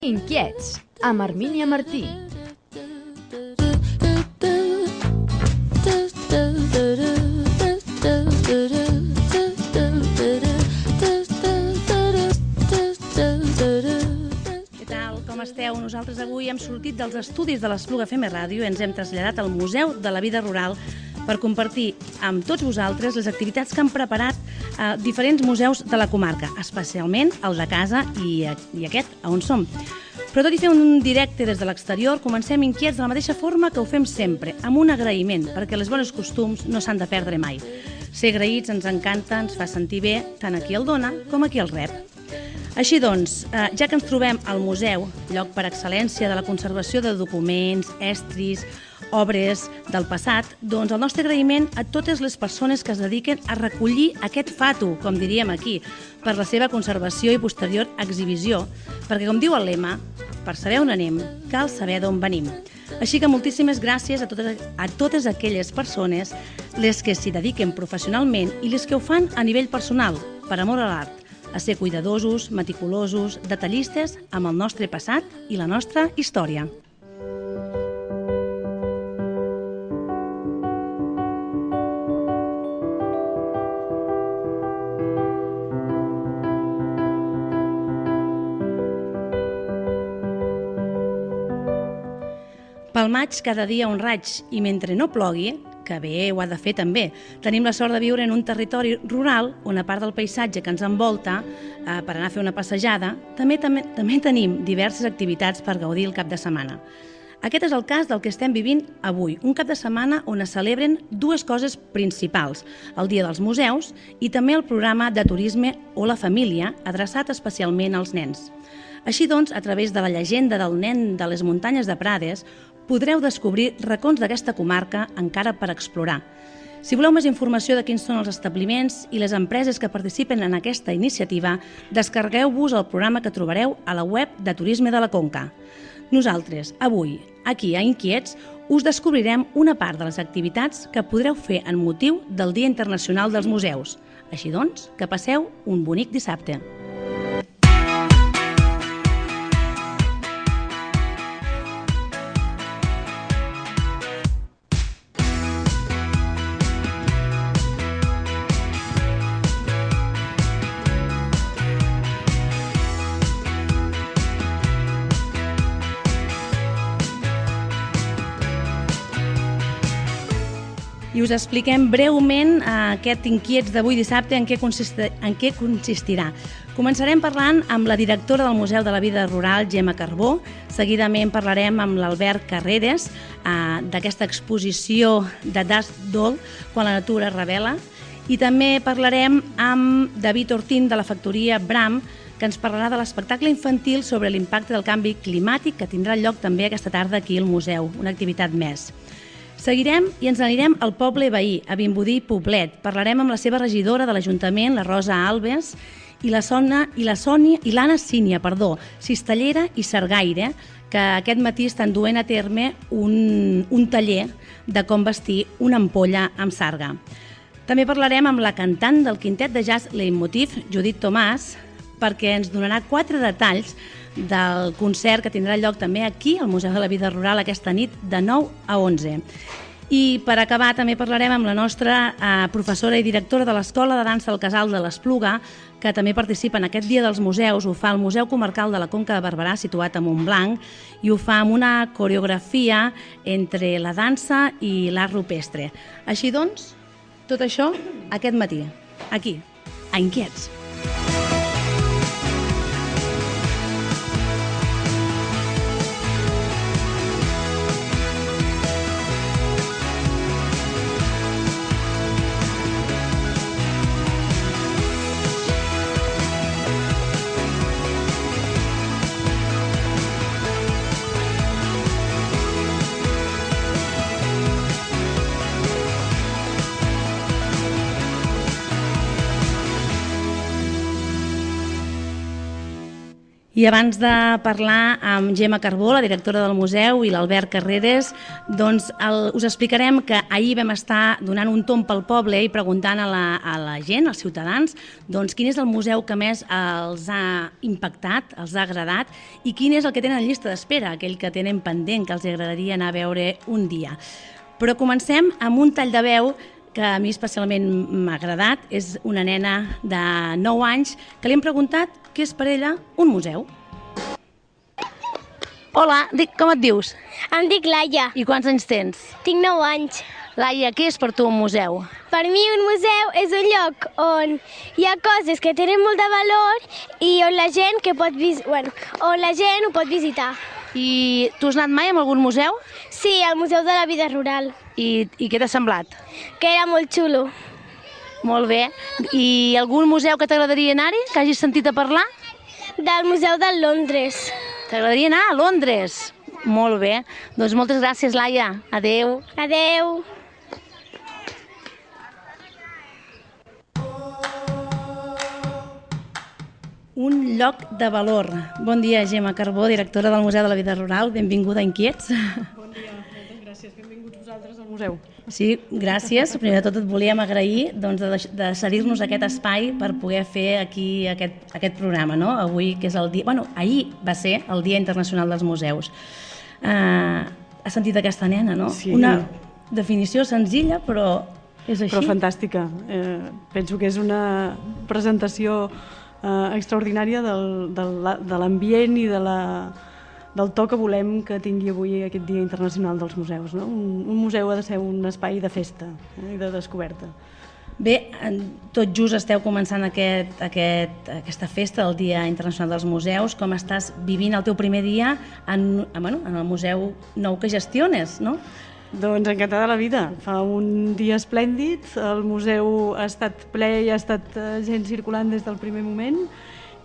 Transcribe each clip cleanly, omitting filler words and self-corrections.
Inquiets, amb Hermínia Martí. Com esteu? Nosaltres avui hem sortit dels estudis de l'Espluga FM Ràdio i ens hem traslladat al Museu de la Vida Rural per compartir amb tots vosaltres les activitats que han preparat diferents museus de la comarca, especialment el de casa i aquest, on som. Però tot i fer un directe des de l'exterior, comencem inquiets de la mateixa forma que ho fem sempre, amb un agraïment, perquè els bons costums no s'han de perdre mai. Ser agraïts ens encanta, ens fa sentir bé, tant a qui el dona com a qui el rep. Així doncs, ja que ens trobem al museu, lloc per excel·lència de la conservació de documents, estris, obres del passat, doncs el nostre agraïment a totes les persones que es dediquen a recollir aquest fatu, com diríem aquí, per la seva conservació i posterior exhibició, perquè, com diu el lema, per saber on anem, cal saber d'on venim. Així que moltíssimes gràcies a totes aquelles persones, les que s'hi dediquen professionalment i les que ho fan a nivell personal, per amor a l'art, a ser cuidadosos, meticulosos, detallistes amb el nostre passat i la nostra història. Pel maig, cada dia un raig, i mentre no plogui, que bé ho ha de fer també, tenim la sort de viure en un territori rural on, a part del paisatge que ens envolta, per anar a fer una passejada, també tenim diverses activitats per gaudir el cap de setmana. Aquest és el cas del que estem vivint avui, un cap de setmana on es celebren dues coses principals, el Dia dels Museus i també el programa de turisme o la família, adreçat especialment als nens. Així doncs, a través de la llegenda del nen de les muntanyes de Prades, podreu descobrir racons d'aquesta comarca encara per explorar. Si voleu més informació de quins són els establiments i les empreses que participen en aquesta iniciativa, descarregueu-vos el programa que trobareu a la web de Turisme de la Conca. Nosaltres, avui, aquí a Inquiets, us descobrirem una part de les activitats que podreu fer en motiu del Dia Internacional dels Museus. Així doncs, que passeu un bonic dissabte. I us expliquem breument aquest Inquiets d'avui dissabte en què consistirà. Començarem parlant amb la directora del Museu de la Vida Rural, Gemma Carbó. Seguidament parlarem amb l'Albert Carreras d'aquesta exposició de Dusk Doll, quan la natura es revela. I també parlarem amb David Ortín de la factoria Bram, que ens parlarà de l'espectacle infantil sobre l'impacte del canvi climàtic que tindrà lloc també aquesta tarda aquí al museu, una activitat més. Seguirem i ens anirem al poble veí, a Vimbodí i Poblet. Parlarem amb la seva regidora de l'Ajuntament, la Rosa Alves, i l'Anna Sínia, cistellera i sargaire, que aquest matí estan duent a terme un taller de com vestir una ampolla amb sarga. També parlarem amb la cantant del quintet de jazz Leitmotiv, Judit Tomàs, perquè ens donarà 4 detalls del concert que tindrà lloc també aquí, al Museu de la Vida Rural, aquesta nit de 9 a 11. I per acabar també parlarem amb la nostra professora i directora de l'Escola de Dansa del Casal de l'Espluga, que també participa en aquest Dia dels Museus. Ho fa al Museu Comarcal de la Conca de Barberà, situat a Montblanc, i ho fa amb una coreografia entre la dansa i l'art rupestre. Així doncs, tot això aquest matí, aquí, a Inquiets. I abans de parlar amb Gemma Carbó, la directora del museu, i l'Albert Carreras, doncs us explicarem que ahir vam estar donant un tomb pel poble i preguntant a la gent, als ciutadans, doncs quin és el museu que més els ha impactat, els ha agradat, i quin és el que tenen en llista d'espera, aquell que tenen pendent, que els agradaria anar a veure un dia. Però comencem amb un tall de veu que a mi especialment m'ha agradat. És una nena de 9 anys que li hem preguntat què és per ella un museu. Hola, com et dius? Em dic Laia, I quants anys tens? tinc 9 anys. Laia, què és per tu un museu? Per mi un museu és un lloc on hi ha coses que tenen molt de valor i on la gent, on la gent ho pot visitar. I tu has anat mai a algun museu? Sí, al Museu de la Vida Rural, I què t'ha semblat? que era molt xulo. Molt bé. I algun museu que t'agradaria anar-hi, que hagis sentit a parlar? Del Museu de Londres. T'agradaria anar a Londres? Molt bé. Doncs moltes gràcies, Laia. Adeu. Adeu. Un lloc de valor. Bon dia, Gemma Carbó, directora del Museu de la Vida Rural. Benvinguda a Inquiets. Bon dia, moltes gràcies. Benvinguts vosaltres al museu. Sí, gràcies. Primer de tot et volíem agrair de cedir-nos aquest espai per poder fer aquí aquest programa, no? Avui, que és el dia... ahir va ser el Dia Internacional dels Museus. Has sentit aquesta nena, no? Sí. Una definició senzilla, però és així. Però fantàstica. Penso que és una presentació extraordinària de l'ambient i del to que volem que tingui avui aquest Dia Internacional dels Museus. No? Un museu ha de ser un espai de festa i de descoberta. Bé, tot just esteu començant aquesta festa del Dia Internacional dels Museus. Com estàs vivint el teu primer dia en el museu nou que gestiones, no? Doncs encantada la vida. Fa un dia esplèndid, el museu ha estat ple i ha estat gent circulant des del primer moment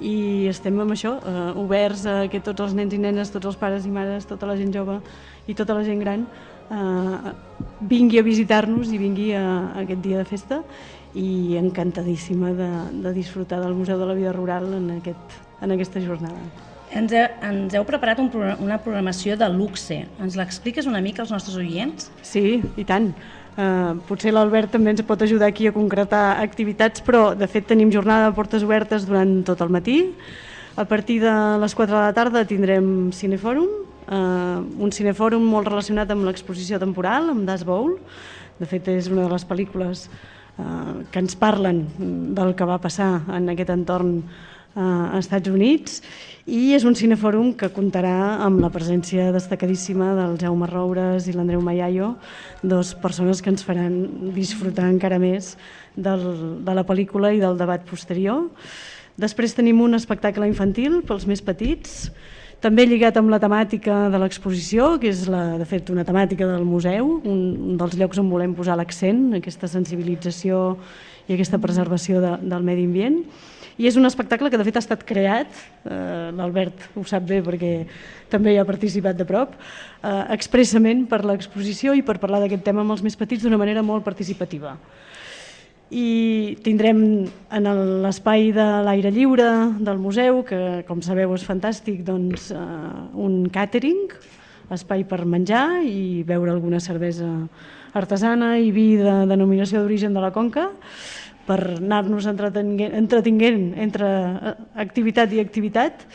i estem amb això, oberts a que tots els nens i nenes, tots els pares i mares, tota la gent jove i tota la gent gran vingui a visitar-nos i vingui a aquest dia de festa i encantadíssima de disfrutar del Museu de la Vida Rural en aquesta jornada. Ens heu preparat una programació de luxe. Ens l'expliques una mica als nostres oients? Sí, i tant. Potser l'Albert també ens pot ajudar aquí a concretar activitats, però de fet tenim jornada de portes obertes durant tot el matí. A partir de les 4 de la tarda tindrem cinefòrum, un cinefòrum molt relacionat amb l'exposició temporal, amb Das Bowl. De fet, és una de les pel·lícules que ens parlen del que va passar en aquest entorn a Estats Units, i és un cinefòrum que comptarà amb la presència destacadíssima del Jaume Roures i l'Andreu Mayayo, dues persones que ens faran disfrutar encara més de la pel·lícula i del debat posterior. Després tenim un espectacle infantil pels més petits, també lligat amb la temàtica de l'exposició, que és de fet una temàtica del museu, un dels llocs on volem posar l'accent, aquesta sensibilització i aquesta preservació del medi ambient. I és un espectacle que de fet ha estat creat, l'Albert ho sap bé perquè també hi ha participat de prop, expressament per l'exposició i per parlar d'aquest tema amb els més petits d'una manera molt participativa. I tindrem en l'espai de l'aire lliure del museu, que com sabeu és fantàstic, doncs, un càtering, espai per menjar i beure alguna cervesa artesana i vi de denominació d'origen de la Conca, per anar-nos entretenint entre activitat i activitat.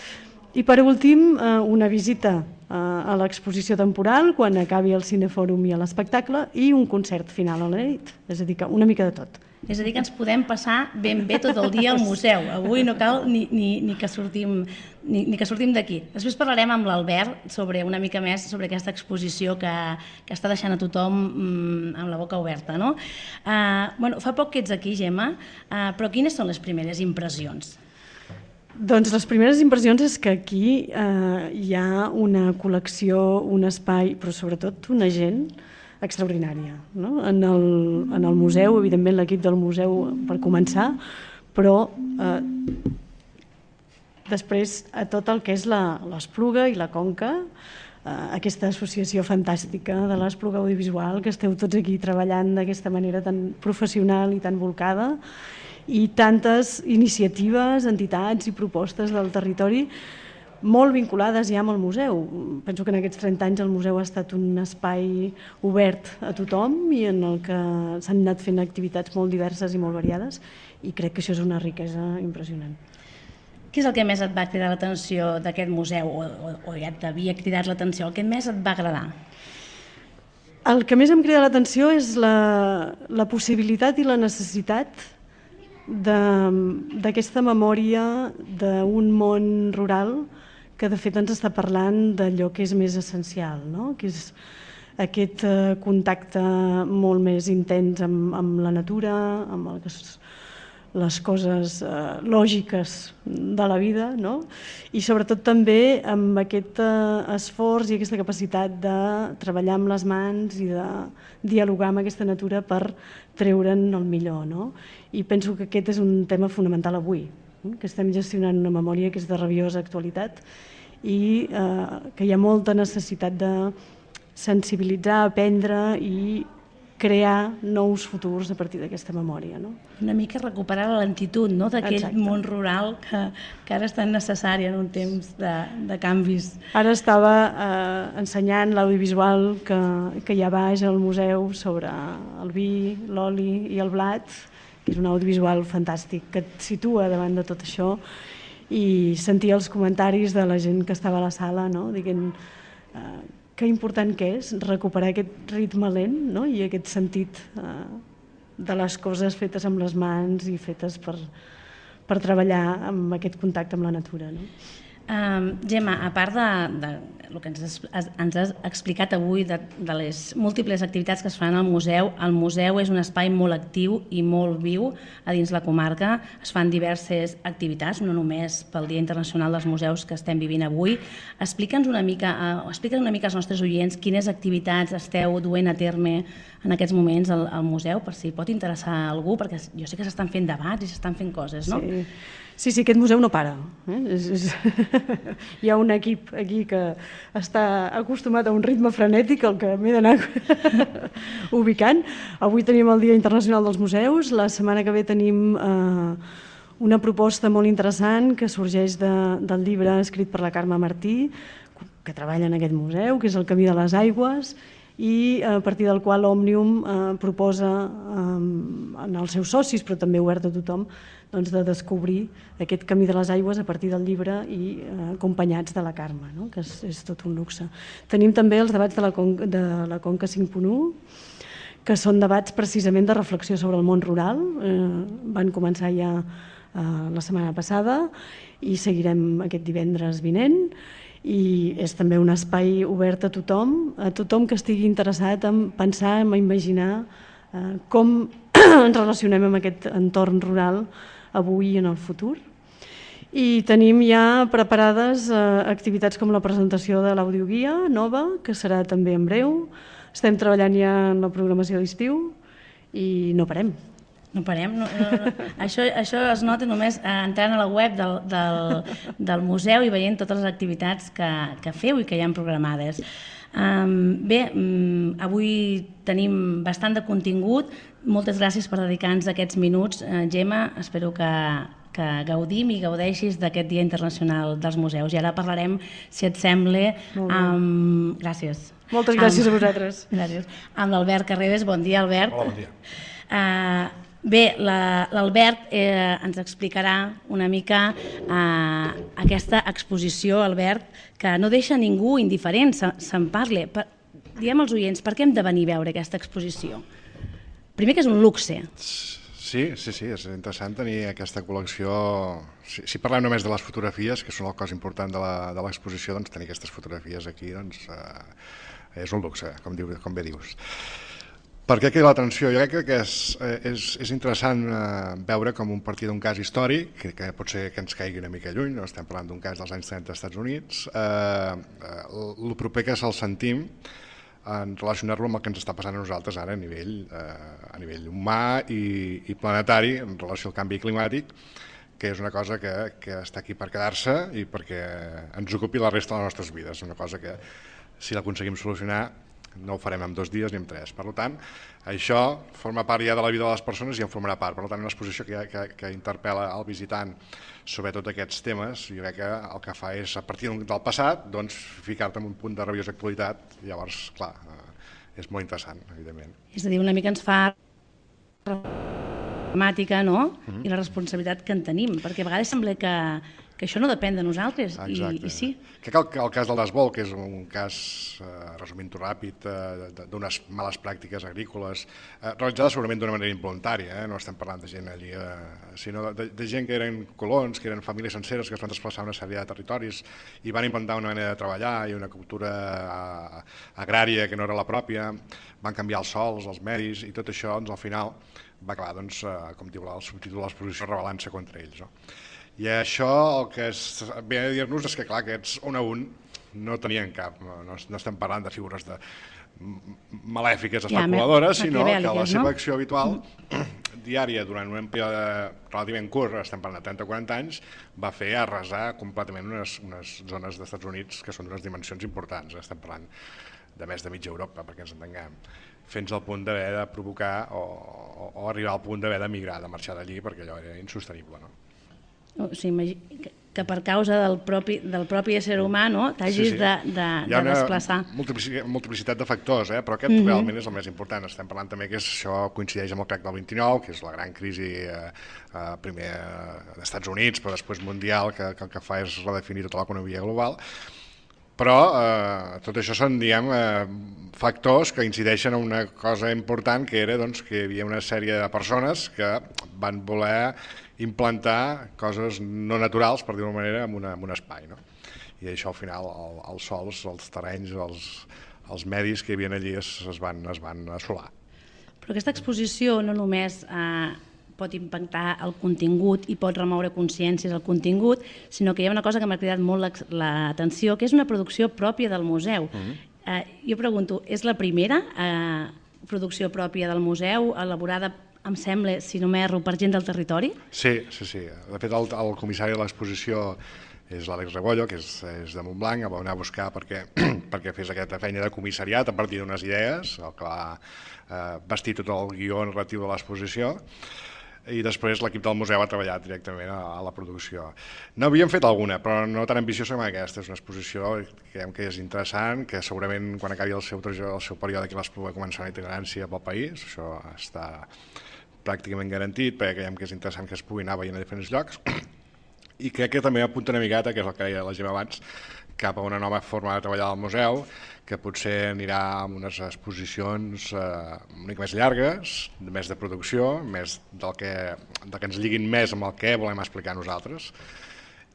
I per últim, una visita a l'exposició temporal quan acabi el cinefòrum i l'espectacle i un concert final a la nit, és a dir, una mica de tot. És a dir, que ens podem passar ben bé tot el dia al museu. Avui no cal ni que sortim d'aquí. Després parlarem amb l'Albert una mica més sobre aquesta exposició que està deixant a tothom amb la boca oberta, no? Fa poc que ets aquí, Gemma, però quines són les primeres impressions? Doncs les primeres impressions és que aquí hi ha una col·lecció, un espai, però sobretot una gent extraordinària, no? En el museu, evidentment l'equip del museu per començar, però després a tot el que és l'Espluga i la Conca, aquesta associació fantàstica de l'Espluga Audiovisual, que esteu tots aquí treballant d'aquesta manera tan professional i tan volcada, i tantes iniciatives, entitats i propostes del territori molt vinculades ja amb el museu. Penso que en aquests 30 anys el museu ha estat un espai obert a tothom i en el que s'han anat fent activitats molt diverses i molt variades, i crec que això és una riquesa impressionant. Què és el que més et va cridar l'atenció d'aquest museu, o ja t'havia cridat l'atenció, el que més et va agradar? El que més em crida l'atenció és la possibilitat i la necessitat d'aquesta memòria d'un món rural que de fet ens està parlant d'allò que és més essencial, no? Que és aquest contacte molt més intens amb la natura, amb les coses lògiques de la vida, no? I sobretot també amb aquest esforç i aquesta capacitat de treballar amb les mans i de dialogar amb aquesta natura per treure'n el millor, no? I penso que aquest és un tema fonamental avui, que estem gestionant una memòria que és de rabiosa actualitat i que hi ha molta necessitat de sensibilitzar, aprendre i crear nous futurs a partir d'aquesta memòria, no? Una mica recuperar la lentitud, no?, d'aquell món rural que ara és tan necessari en un temps de canvis. Ara estava ensenyant l'audiovisual que hi ha baix al museu sobre el vi, l'oli i el blat, que és un audiovisual fantàstic que et situa davant de tot això, i sentia els comentaris de la gent que estava a la sala, no?, dient que important que és recuperar aquest ritme lent, no?, i aquest sentit de les coses fetes amb les mans i fetes per treballar amb aquest contacte amb la natura, no? Gemma, a part de el que ens has explicat avui de les múltiples activitats que es fan al museu, el museu és un espai molt actiu i molt viu a dins la comarca. Es fan diverses activitats, no només pel Dia Internacional dels Museus que estem vivint avui. Explica'ns una mica als nostres oients quines activitats esteu duent a terme en aquests moments al museu, per si pot interessar a algú, perquè jo sé que s'estan fent debats i s'estan fent coses, no? Sí, aquest museu no para. Hi ha un equip aquí que està acostumat a un ritme frenètic, el que m'he d'anar ubicant. Avui tenim el Dia Internacional dels Museus, la setmana que ve tenim una proposta molt interessant que sorgeix del llibre escrit per la Carme Martí, que treballa en aquest museu, que és El camí de les aigües, i a partir del qual Òmnium proposa als seus socis, però també obert a tothom, de descobrir aquest camí de les aigües a partir del llibre i acompanyats de la Carme, no?, que és tot un luxe. Tenim també els debats de la Conca 5.1, que són debats precisament de reflexió sobre el món rural. Van començar ja la setmana passada i seguirem aquest divendres vinent. I és també un espai obert a tothom que estigui interessat en pensar, en imaginar com ens relacionem amb aquest entorn rural avui i en el futur. I tenim ja preparades activitats com la presentació de l'audioguia nova, que serà també en breu. Estem treballant ja en la programació d'estiu i no parem. No parem. Això es nota només entrant a la web del museu i veient totes les activitats que feu i que hi ha programades. Bé, avui tenim bastant de contingut. Moltes gràcies per dedicar-nos aquests minuts. Gemma, espero que gaudim i gaudeixis d'aquest Dia Internacional dels Museus. I ara parlarem, si et sembla, amb... Gràcies. Moltes gràcies a vosaltres. Gràcies. Amb l'Albert Carreras. Bon dia, Albert. Hola, bon dia. Bé, l'Albert ens explicarà una mica aquesta exposició, Albert, que no deixa ningú indiferent, se'n parla. Diguem als oients, per què hem de venir a veure aquesta exposició? Primer que és un luxe. Sí, és interessant tenir aquesta col·lecció. Si parlem només de les fotografies, que són el cos important de l'exposició, doncs tenir aquestes fotografies aquí és un luxe, com bé dius. Per què crida l'atenció? Jo crec que és interessant veure com un partir d'un cas històric, que pot ser que ens caigui una mica lluny, no estem parlant d'un cas dels anys 30 als Estats Units, el proper que se'l sentim en relacionar-lo amb el que ens està passant a nosaltres ara a nivell humà i planetari en relació al canvi climàtic, que és una cosa que està aquí per quedar-se i perquè ens ocupi la resta de les nostres vides. Una cosa que, si l'aconseguim solucionar, no ho farem en 2 dies ni en 3. Per tant, això forma part ja de la vida de les persones i en formarà part. Per tant, una exposició que interpel·la al visitant sobre tots aquests temes, jo crec que el que fa és, a partir del passat, doncs, ficar-te en un punt de rabiosa actualitat. Llavors, clar, és molt interessant, evidentment. És a dir, una mica ens fa temàtica, no? I la responsabilitat que en tenim, perquè a vegades sembla que això no depèn de nosaltres, i sí. Crec que el cas del desbol, que és un cas, resumint-ho ràpid, d'unes males pràctiques agrícoles, realitzades segurament d'una manera involuntària, no estem parlant de gent allí, sinó de gent que eren colons, que eren famílies senceres que es van desplaçar a una sèrie de territoris i van implantar una manera de treballar i una cultura agrària que no era la pròpia, van canviar els sols, els medis, i tot això, doncs, al final, va acabar, doncs, com diu el subtítol de l'exposició, rebel·lant-se contra ells, no? I això el que ve a dir-nos és que, clar, aquests un a un no tenien cap, no estem parlant de figures malèfiques, especuladores, sinó que la seva acció habitual, diària, durant un període relativament curt, estem parlant de 30 o 40 anys, va fer arrasar completament unes zones dels Estats Units que són d'unes dimensions importants. Estem parlant de més de mitja Europa, perquè ens entenguem, fins al punt d'haver de provocar o arribar al punt d'haver de migrar, de marxar d'allí, perquè allò era insostenible, no? O sigui, que per causa del propi ésser humà, no, t'hagis de desplaçar. Hi ha una multiplicitat de factors, però aquest realment és el més important. Estem parlant també que això coincideix amb el crac del 29, que és la gran crisi primer dels Estats Units, però després mundial, que el que fa és redefinir tota l'economia global. Però tot això són, diguem, factors que incideixen en una cosa important, que era que hi havia una sèrie de persones que van voler implantar coses no naturals, per dir-ho d'una manera, en un espai, no? I això, al final, els sols, els terrenys, els medis que hi havia allí es van assolar. Però aquesta exposició no només pot impactar el contingut i pot remoure consciències al contingut, sinó que hi ha una cosa que m'ha cridat molt l'atenció, que és una producció pròpia del museu. Jo pregunto, és la primera producció pròpia del museu, elaborada, em sembla, si no m'erro, per gent del territori? Sí. De fet, el comissari de l'exposició és l'Àlex Rebollo, que és de Montblanc, el va anar a buscar perquè fes aquesta feina de comissariat a partir d'unes idees, el que va vestir tot el guió narratiu de l'exposició, i després l'equip del museu ha treballat directament a la producció. N'havíem fet alguna, però no tan ambiciosa com aquesta. És una exposició que creiem que és interessant, que segurament quan acabi el seu període aquí les pugui començar una itinerància pel país. Això està pràcticament garantit, perquè creiem que és interessant que es pugui anar veient a diferents llocs. I crec que també apunta una miqueta, que és el que deia la Gemma abans, cap a una nova forma de treballar al museu, que potser anirà amb unes exposicions una mica més llargues, més de producció, més del que ens lliguin més amb el que volem explicar nosaltres,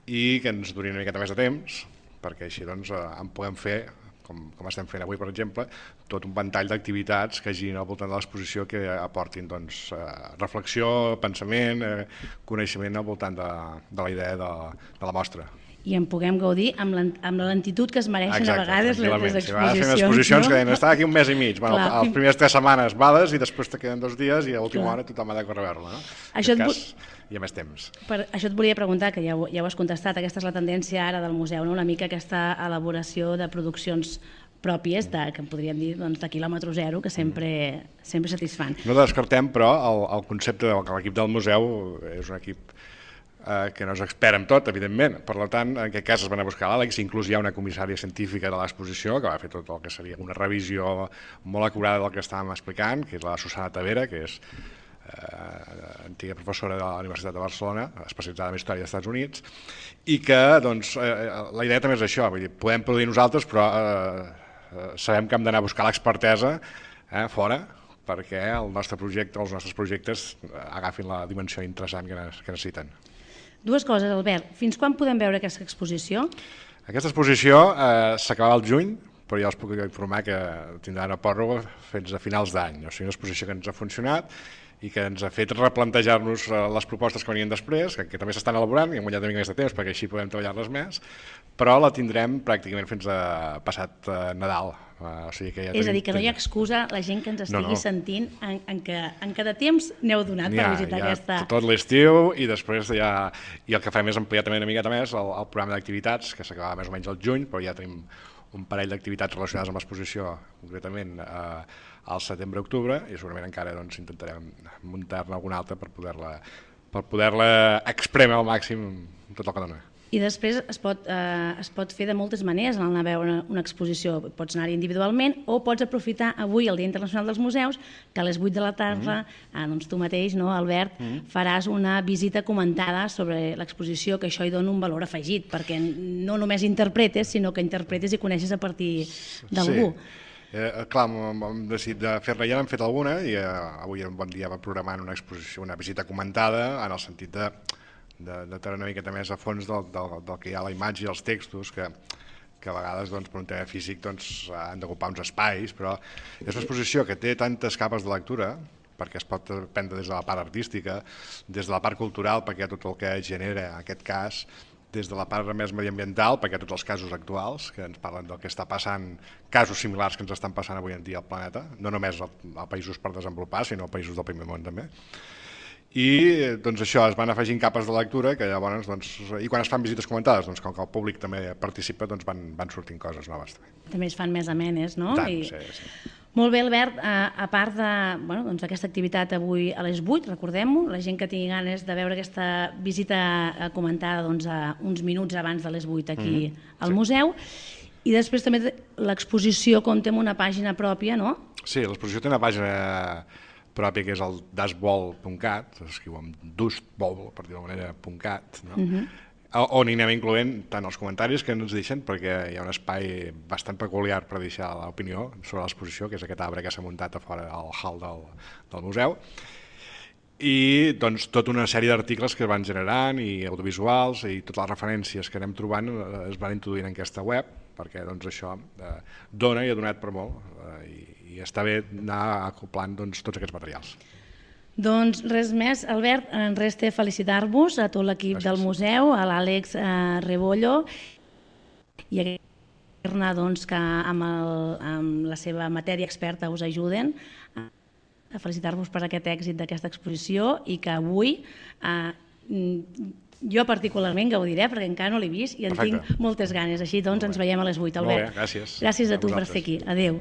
i que ens durin una miqueta més de temps, perquè així en podem fer, com estem fent avui, per exemple, tot un ventall d'activitats que girin al voltant de l'exposició que aportin reflexió, pensament, coneixement al voltant de la idea de la mostra. I en puguem gaudir amb la lentitud que es mereixen a vegades les exposicions. Si vas fent exposicions que deien, està aquí un mes i mig, les primeres 3 setmanes vades i després te queden 2 dies i a última hora tothom ha de córrer a veure-la. En aquest cas hi ha més temps. Això et volia preguntar, que ja ho has contestat, aquesta és la tendència ara del museu, una mica aquesta elaboració de produccions pròpies, que en podríem dir de quilòmetre zero, que sempre satisfan. No descartem, però, el concepte que l'equip del museu és un equip que no és expert en tot, evidentment. Per tant, en aquest cas es van a buscar l'Àlex, inclús hi ha una comissària científica de l'exposició que va fer tot el que seria una revisió molt acurada del que estàvem explicant, que és la Susana Tavera, que és antiga professora de la Universitat de Barcelona, especialitzada en història dels Estats Units, i que la idea també és això, vull dir, podem produir nosaltres, però sabem que hem d'anar a buscar l'expertesa fora, perquè el nostre projecte, els nostres projectes agafin la dimensió interessant que necessiten. 2 coses, Albert. Fins quan podem veure aquesta exposició? Aquesta exposició s'acabava al juny, però ja us puc informar que tindrà una pròrroga fins a finals d'any. O sigui, una exposició que ens ha funcionat i que ens ha fet replantejar-nos les propostes que venien després, que també s'estan elaborant i hem guanyat una mica més de temps perquè així podem treballar-les més, però la tindrem pràcticament fins a passat Nadal. O sigui que ja és a dir, que no hi ha excusa la gent que ens estigui sentint en cada temps n'heu donat per visitar aquesta... Tot l'estiu i després i el que fem és ampliar també una miqueta més el programa d'activitats, que s'acabava més o menys al juny, però ja tenim un parell d'activitats relacionades amb l'exposició, concretament al setembre-octubre, i segurament encara doncs, intentarem muntar-ne alguna altra per poder-la exprémer al màxim tot el que dona. I després es pot fer de moltes maneres anar a veure una exposició. Pots anar-hi individualment o pots aprofitar avui, el Dia Internacional dels Museus, que a les 8 de la tarda, doncs tu mateix, no, Albert, faràs una visita comentada sobre l'exposició, que això hi dona un valor afegit, perquè no només interpretes, sinó que interpretes i coneixes a partir d'algú. Sí. Clar, hem decidit de fer-la, ja n'hem fet alguna, i avui era un bon dia per programar una exposició, una visita comentada, en el sentit de treure una miqueta més a fons del que hi ha a la imatge i els textos, que a vegades per un tema físic han d'ocupar uns espais, però és una exposició que té tantes capes de lectura, perquè es pot prendre des de la part artística, des de la part cultural, perquè hi ha tot el que genera aquest cas, des de la part més mediambiental, perquè hi ha tots els casos actuals, que ens parlen del que està passant, casos similars que ens estan passant avui en dia al planeta, no només a països per desenvolupar, sinó a països del primer món també. I doncs això, es van afegint capes de lectura que llavors, i quan es fan visites comentades, com que el públic també participa, van sortint coses noves. També es fan més amenes, no? Tant, sí. Molt bé, Albert, a part d'aquesta activitat avui a les 8, recordem-ho, la gent que tingui ganes de veure aquesta visita comentada uns minuts abans de les 8 aquí al museu, i després també l'exposició compta amb una pàgina pròpia, no? Sí, l'exposició té una pàgina pròpia que és el dustball.cat, s'escriu amb dustball, per dir-ho d'alguna manera, .cat, on hi anem incloent tant els comentaris que ens deixen, perquè hi ha un espai bastant peculiar per deixar l'opinió sobre l'exposició, que és aquest arbre que s'ha muntat a fora al hall del museu, i doncs tota una sèrie d'articles que es van generant, i audiovisuals, i totes les referències que anem trobant es van introduint en aquesta web, perquè això dona i ha donat per molt, i està bé anar acoplant tots aquests materials. Doncs res més, Albert, ens resta felicitar-vos a tot l'equip del museu, a l'Àlex Rebollo, i agrair-ne que amb la seva matèria experta us ajuden a felicitar-vos per aquest èxit d'aquesta exposició, i que avui jo particularment gaudiré, perquè encara no l'he vist i en tinc moltes ganes. Així doncs ens veiem a les 8, Albert. Molt bé, gràcies. Gràcies a tu per ser aquí. Adéu.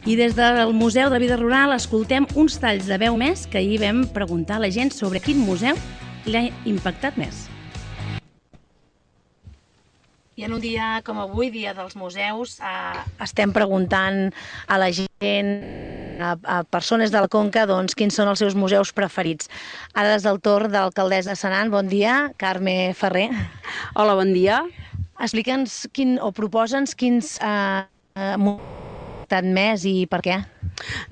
I des del Museu de Vida Rural escoltem uns talls de veu més que ahir vam preguntar a la gent sobre quin museu l'ha impactat més. I en un dia com avui, Dia dels Museus, estem preguntant a la gent, a persones de la Conca, quins són els seus museus preferits. Ara és el torn de l'alcaldessa de Senan. Bon dia, Carme Ferrer. Hola, bon dia. Explica'ns o proposa'ns quins impactat més i per què?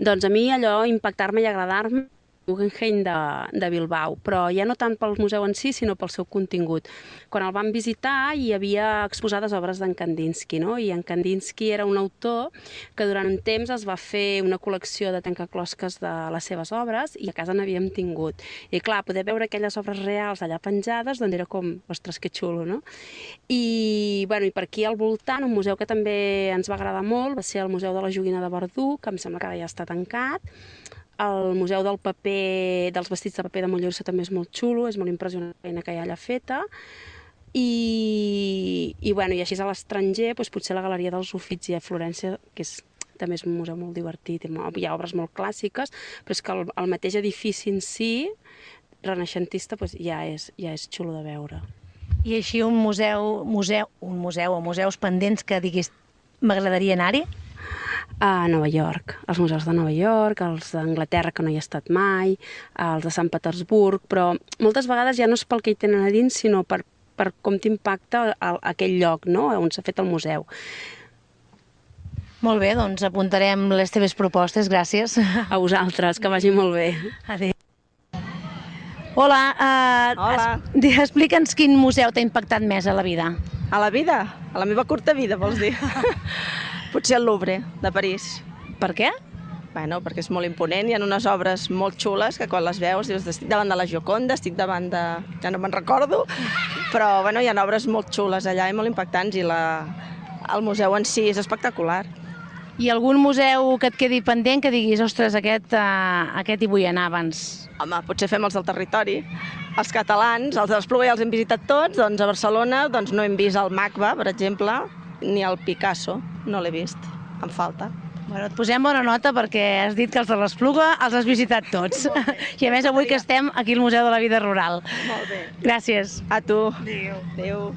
Doncs a mi allò impactar-me i agradar-me Guggenheim de Bilbao, però ja no tant pel museu en si, sinó pel seu contingut. Quan el vam visitar hi havia exposades obres d'en Kandinsky, no? I en Kandinsky era un autor que durant un temps es va fer una col·lecció de trencaclosques de les seves obres i a casa n'havíem tingut. I clar, poder veure aquelles obres reals allà penjades, doncs era com, ostres, que xulo, no? I per aquí al voltant, un museu que també ens va agradar molt va ser el Museu de la Joguina de Verdú, que em sembla que ara ja està tancat. El Museu del Paper, dels vestits de paper de Mollerussa també és molt xulo, és molt impressionant la feina que hi ha allà feta. I així a l'estranger, potser la Galeria dels Uffizi a Florència, que també és un museu molt divertit, hi ha obres molt clàssiques, però és que el mateix edifici en si, renaixentista, ja és xulo de veure. I així un museu o museus pendents que diguis m'agradaria anar-hi? A Nova York, els museus de Nova York, els d'Anglaterra, que no hi he estat mai, els de Sant Petersburg, però moltes vegades ja no és pel que hi tenen a dins, sinó per com t'impacta aquell lloc, no?, on s'ha fet el museu. Molt bé, doncs apuntarem les teves propostes, gràcies. A vosaltres, que vagi molt bé. Adéu. Hola, explica'ns quin museu t'ha impactat més a la vida. A la vida? A la meva curta vida, vols dir? Potser el Louvre, de París. Per què? Bueno, perquè és molt imponent, hi ha unes obres molt xules que quan les veus dius, estic davant de la Gioconda, estic davant de... ja no me'n recordo, però bueno, hi ha obres molt xules allà i molt impactants i el museu en si és espectacular. I algun museu que et quedi pendent que diguis, ostres, aquest hi vull anar abans? Home, potser fem els del territori. Els catalans, els de l'Espluga ja els hem visitat tots, doncs a Barcelona no hem vist el MACBA, per exemple, ni el Picasso, no l'he vist, em falta. Bueno, et posem bona nota perquè has dit que els de l'Espluga els has visitat tots. I a més avui que estem aquí al Museu de la Vida Rural. Molt bé. Gràcies. A tu. Adéu. Adéu.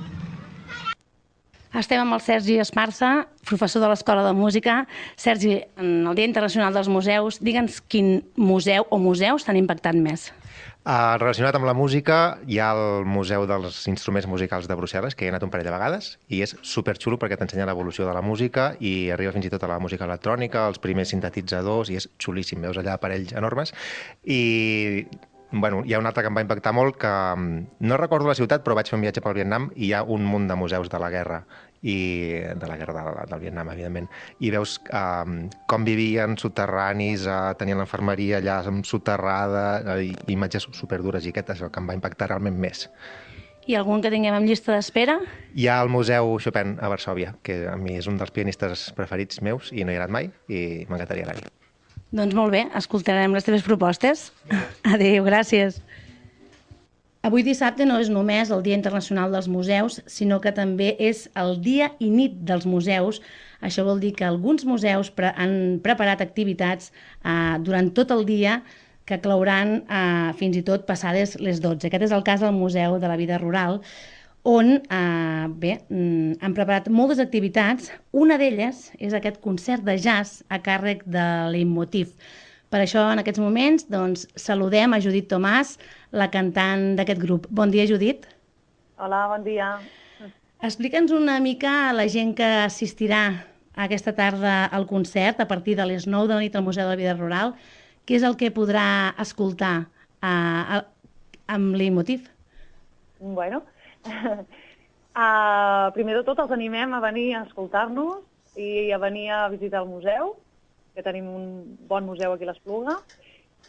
Estem amb el Sergi Esparza, professor de l'Escola de Música. Sergi, en el Dia Internacional dels Museus, digue'ns quin museu o museus t'han impactat més? Relacionat amb la música, hi ha el Museu dels Instruments Musicals de Brussel·les, que hi he anat un parell de vegades, i és superxulo perquè t'ensenya l'evolució de la música i arriba fins i tot a la música electrònica, els primers sintetitzadors, i és xulíssim, veus allà aparells enormes. I bueno, hi ha un altre que em va impactar molt, que no recordo la ciutat, però vaig fer un viatge pel Vietnam i hi ha un munt de museus de la guerra, i de la guerra del Vietnam, evidentment. I veus com vivien soterranis, tenien l'infermeria allà soterrada, imatges superdures, i aquest és el que em va impactar realment més. I algun que tinguem en llista d'espera? Hi ha el Museu Chopin a Varsòvia, que a mi és un dels pianistes preferits meus i no hi he anat mai i m'encantaria anar-hi. Doncs molt bé, escoltarem les teves propostes. Adéu, gràcies. Avui dissabte no és només el Dia Internacional dels Museus, sinó que també és el dia i nit dels museus. Això vol dir que alguns museus han preparat activitats durant tot el dia que clouran fins i tot passades les 12. Aquest és el cas del Museu de la Vida Rural, on han preparat moltes activitats. Una d'elles és aquest concert de jazz a càrrec de Leitmotiv. Per això, en aquests moments, saludem a Judit Tomàs, la cantant d'aquest grup. Bon dia, Judit. Hola, bon dia. Explica'ns una mica a la gent que assistirà aquesta tarda al concert a partir de les 9 de la nit al Museu de la Vida Rural, què és el que podrà escoltar amb Leitmotiv? Bueno, primer de tot els animem a venir a escoltar-nos i a venir a visitar el museu, que tenim un bon museu aquí a l'Espluga,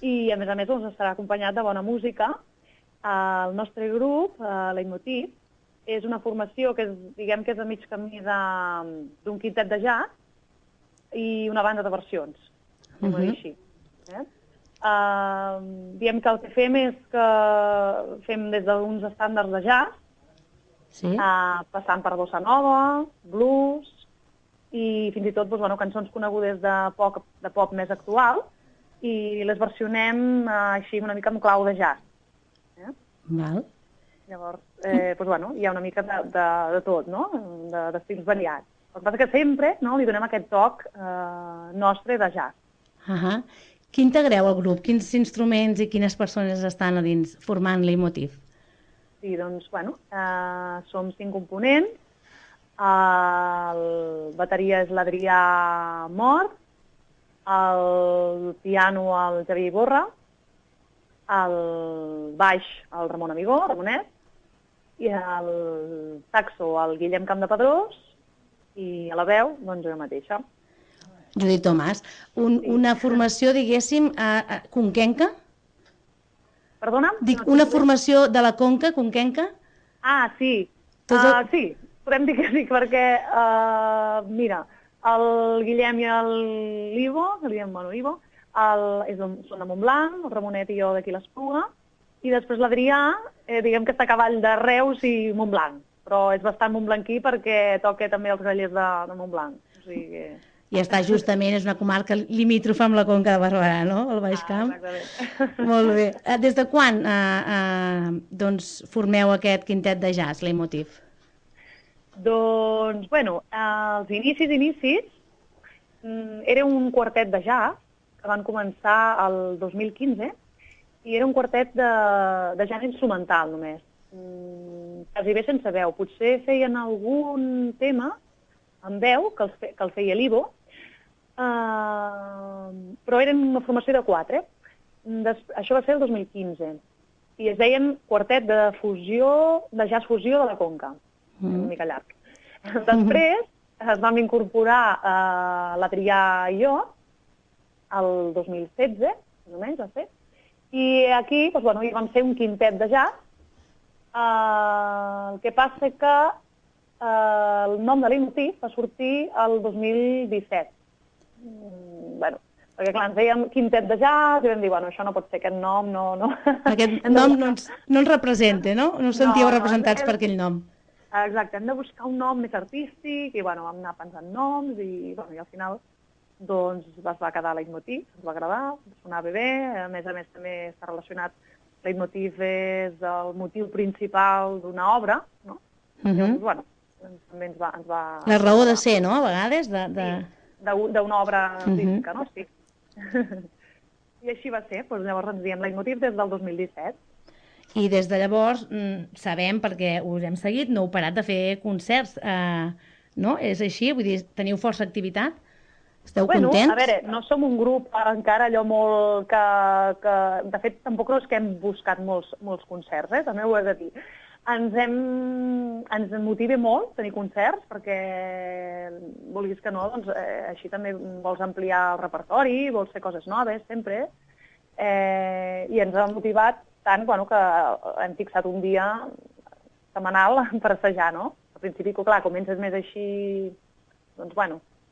i a més estarà acompanyat de bona música. El nostre grup, Leitmotiv, és una formació que diguem que és a mig camí d'un quintet de jazz i una banda de versions, anem a dir així. Diem que el que fem és que fem des d'uns estàndards de jazz, passant per bossa nova, blues i fins i tot cançons conegudes de pop més actual, i les versionem així una mica amb clau de jazz. Llavors, hi ha una mica de tot, d'estils variats. El que passa que sempre li donem aquest toc nostre de jazz. Qui integreu el grup? Quins instruments i quines persones estan a dins formant Leitmotiv? Sí, som 5 components. El bateria és l'Adrià Mort, el piano el Javier Iborra, el baix el Ramon Amigó, Ramonet, i el saxo el Guillem Campdepadrós, i a la veu, jo mateixa. Judit Tomàs, una formació, diguéssim, conquenca? Perdona? Dic, una formació de la conca, conquenca? Sí. Sí, podem dir que sí, perquè, mira, el Guillem i l'Ivo, Ivo, són de Montblanc, el Ramonet i jo d'aquí l'Espluga, i després l'Adrià, diguem que està a cavall de Reus i Montblanc, però és bastant montblanquí perquè toca també els grallers de Montblanc. O sigui que... I està justament, és una comarca limítrofa amb la Conca de Barberà, no?, el Baix Camp. Exactament. Molt bé. Des de quan formeu aquest quintet de jazz, Leitmotiv? Els inicis, era un quartet de jazz que van començar el 2015 i era un quartet de jazz instrumental només, quasi bé sense veu. Potser feien algun tema amb veu, que el feia l'Ivo, però eren una formació de 4. Això va ser el 2015 i es deien quartet de jazz fusió de la Conca, una mica llarg. Després es vam incorporar l'Adrià i jo el 2016, més o menys, va ser. I aquí hi vam ser un quintet de jazz. El que passa que el nom de l'Imotiv va sortir el 2017. Perquè clar, ens dèiem quintet de jazz i vam dir, això no pot ser, aquest nom no... Aquest nom no ens representa, no? No us sentíeu representats per aquell nom. Exacte, hem de buscar un nom més artístic i vam anar pensant noms i al final es va quedar Leitmotiv, ens va agradar, sonava bé, a més també està relacionat, Leitmotiv és el motiu principal d'una obra, no? Llavors, també ens va... La raó de ser, no?, a vegades, d'una obra artística, no? Sí. I així va ser, llavors ens diem Leitmotiv des del 2017. I des de llavors sabem, perquè us hem seguit, no heu parat de fer concerts, no? És així? Vull dir, teniu força activitat? Esteu contents? A veure, no som un grup encara allò molt que... De fet, tampoc no és que hem buscat molts concerts, també ho he de dir. Ens motiva molt tenir concerts, perquè vulguis que no, així també vols ampliar el repertori, vols fer coses noves, sempre. I ens ha motivat tant que hem fixat un dia setmanal per assajar, no? Al principi, clar, comences més així,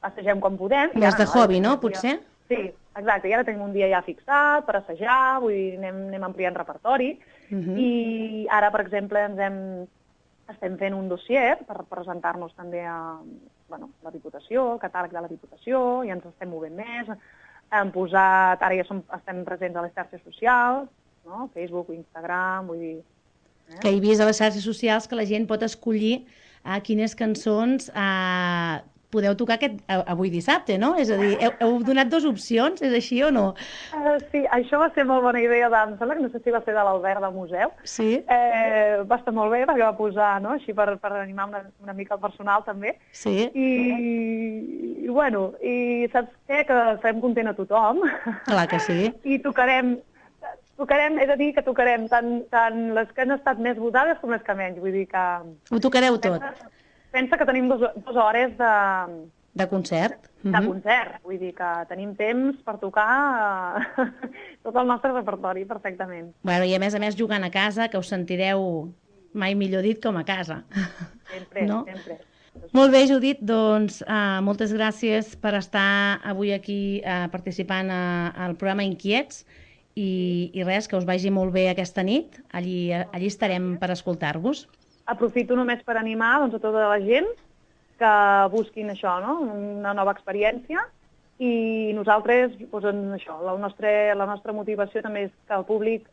assagem quan podem. Més de hobby, no, potser? Sí, exacte, i ara tenim un dia ja fixat per assajar, vull dir, anem ampliant repertori, i ara, per exemple, estem fent un dossier per presentar-nos també a la Diputació, el catàleg de la Diputació, i ens estem movent més, hem posat, ara ja estem presents a les xarxes socials, no? Facebook, Instagram, vull dir... Que he vist a les xarxes socials que la gent pot escollir quines cançons podeu tocar avui dissabte, no? És a dir, heu donat 2 opcions, és així o no? Sí, això va ser molt bona idea, em sembla que no sé si va ser de l'Albert del museu. Sí. Va estar molt bé perquè va posar, no?, així per animar una mica el personal també. Sí. I saps què? Que farem content a tothom. Clar que sí. I tocarem, he de dir que tocarem tant les que han estat més votades com les que menys, vull dir que... Ho tocareu tot. Pensa que tenim 2 hores de concert. De concert, vull dir que tenim temps per tocar tot el nostre repertori perfectament. I a més jugant a casa, que us sentireu mai millor dit com a casa. Sempre, no? Sempre. Molt bé, Judit, doncs moltes gràcies per estar avui aquí participant al programa Inquiets i res, que us vagi molt bé aquesta nit. Allí estarem per escoltar-vos. Aprofito només per animar a tota la gent que busquin això, no? Una nova experiència, i nosaltres, això, la nostra motivació també és que el públic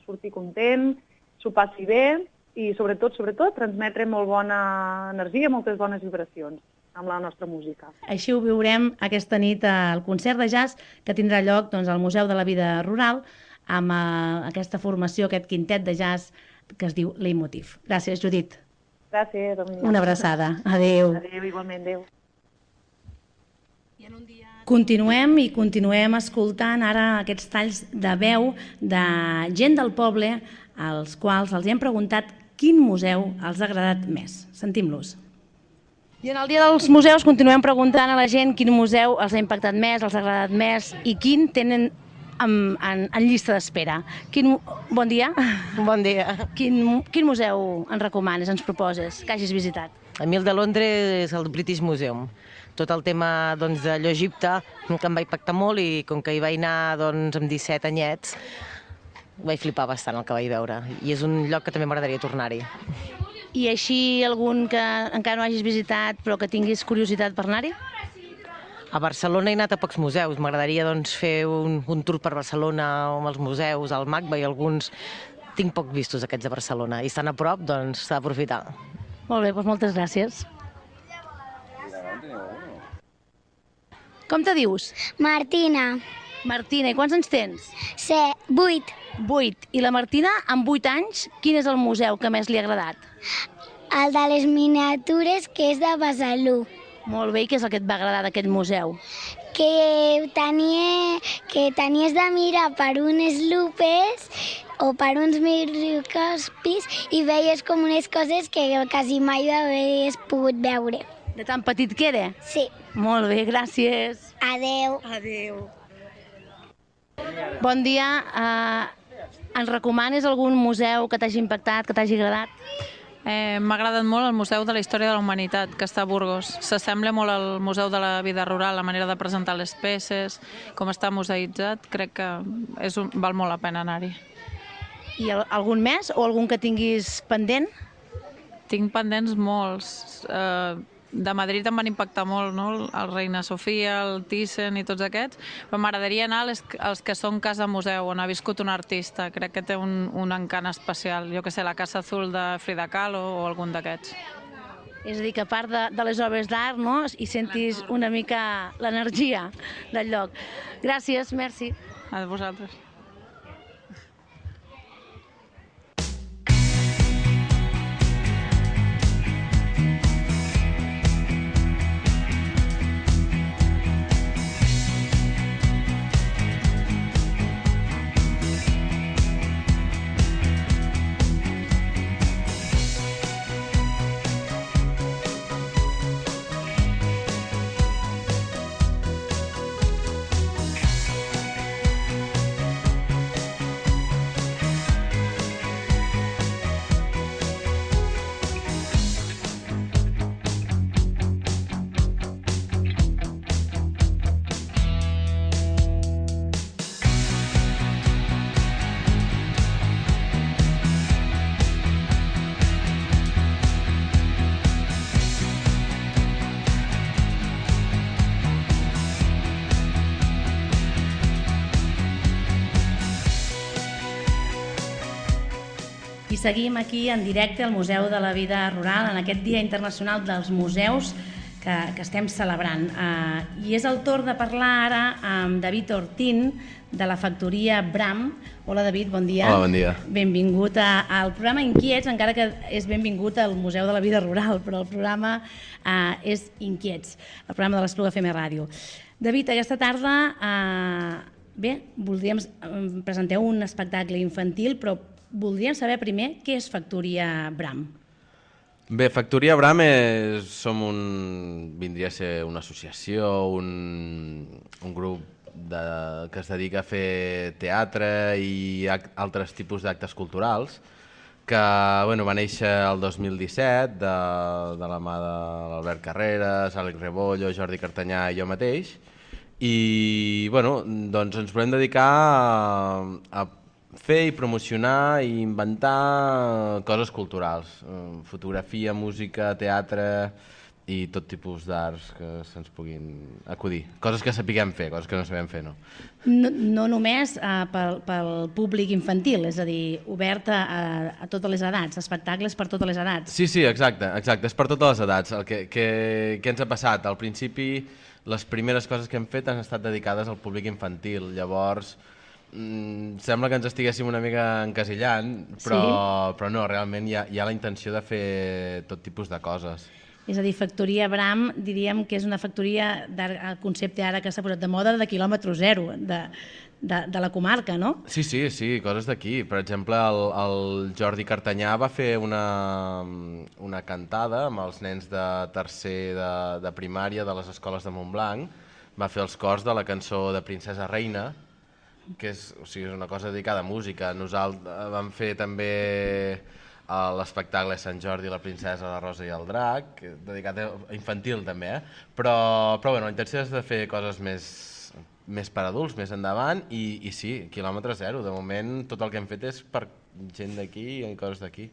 surti content, s'ho passi bé i sobretot transmetre molt bona energia, moltes bones vibracions amb la nostra música. Així ho viurem aquesta nit al concert de jazz que tindrà lloc al Museu de la Vida Rural amb aquesta formació, aquest quintet de jazz que es diu Leitmotiv. Gràcies, Judit. Gràcies. Una abraçada. Adéu. Adéu, igualment, adéu. Continuem escoltant ara aquests talls de veu de gent del poble als quals els hem preguntat quin museu els ha agradat més. Sentim-los. I en el Dia dels Museus continuem preguntant a la gent quin museu els ha impactat més, els ha agradat més i quin tenen en llista d'espera. Bon dia. Bon dia. Quin museu ens recomanes, ens proposes, que hagis visitat? A mi el de Londres és el British Museum. Tot el tema d'allò Egipte, que em va impactar molt, i com que hi vaig anar amb 17 anyets, vaig flipar bastant el que vaig veure. I és un lloc que també m'agradaria tornar-hi. I així algun que encara no hagis visitat però que tinguis curiositat per anar-hi? A Barcelona he anat a pocs museus. M'agradaria fer un tour per Barcelona amb els museus, el MACBA i alguns. Tinc poc vistos aquests de Barcelona i estan a prop, doncs s'ha d'aprofitar. Molt bé, doncs moltes gràcies. Com te dius? Martina. Martina, i quants anys tens? 8. 8. I la Martina, amb 8 anys, quin és el museu que més li ha agradat? El de les miniatures, que és de Besalú. Molt bé, i què és el que et va agradar d'aquest museu? Que tenies de mirar per unes lupes o per uns microscopis i veies com unes coses que quasi mai havies pogut veure. De tan petit que era? Sí. Molt bé, gràcies. Adeu. Adeu. Bon dia. Ens recomanes algun museu que t'hagi impactat, que t'hagi agradat? M'ha agradat molt el Museu de la Història de la Humanitat, que està a Burgos. S'assembla molt al Museu de la Vida Rural, la manera de presentar les peces, com està museïtzat, crec que val molt la pena anar-hi. I algun més o algun que tinguis pendent? Tinc pendents molts. De Madrid em van impactar molt, no? El Reina Sofia, el Thyssen i tots aquests, però m'agradaria anar als que són casa museu, on ha viscut un artista. Crec que té un encant especial. Jo que sé, la Casa Azul de Frida Kahlo o algun d'aquests. És a dir, que a part de les obres d'art, no?, hi sentis una mica l'energia del lloc. Gràcies, merci. A vosaltres. I seguim aquí en directe al Museu de la Vida Rural en aquest Dia Internacional dels Museus que estem celebrant. I és el torn de parlar ara amb David Ortín de la factoria Bram. Hola David, bon dia. Hola, bon dia. Benvingut al programa Inquiets, encara que és benvingut al Museu de la Vida Rural, però el programa és Inquiets, el programa de l'Espluga FM Ràdio. David, aquesta tarda, presenteu un espectacle infantil, però voldríem saber primer què és Factoria Bram. Bé, Factoria Bram vindria a ser una associació, un grup que es dedica a fer teatre i altres tipus d'actes culturals que va néixer el 2017 de la mà de l'Albert Carreras, Àlex Rebollo, Jordi Cartanyà i jo mateix i doncs ens volem dedicar a fer i promocionar i inventar coses culturals, fotografia, música, teatre i tot tipus d'arts que se'ns puguin acudir. Coses que sapiguem fer, coses que no sabem fer, no? No només pel públic infantil, és a dir, obert a totes les edats, espectacles per totes les edats. Sí, exacte, és per totes les edats. Què ens ha passat? Al principi, les primeres coses que hem fet han estat dedicades al públic infantil, llavors sembla que ens estiguéssim una mica encasillant, però no, realment hi ha la intenció de fer tot tipus de coses. És a dir, Factoria Bram diríem que és una factoria, el concepte ara que s'ha posat de moda, de quilòmetre zero, de la comarca, no? Sí, coses d'aquí. Per exemple, el Jordi Cartanyà va fer una cantada amb els nens de tercer de primària de les escoles de Montblanc, va fer els cors de la cançó de Princesa Reina, que és una cosa dedicada a música. Nosaltres vam fer també l'espectacle Sant Jordi, la princesa, la rosa i el drac, dedicat a infantil també, però la intenció és de fer coses més per adults, més endavant, i sí, quilòmetre zero. De moment tot el que hem fet és per gent d'aquí i coses d'aquí.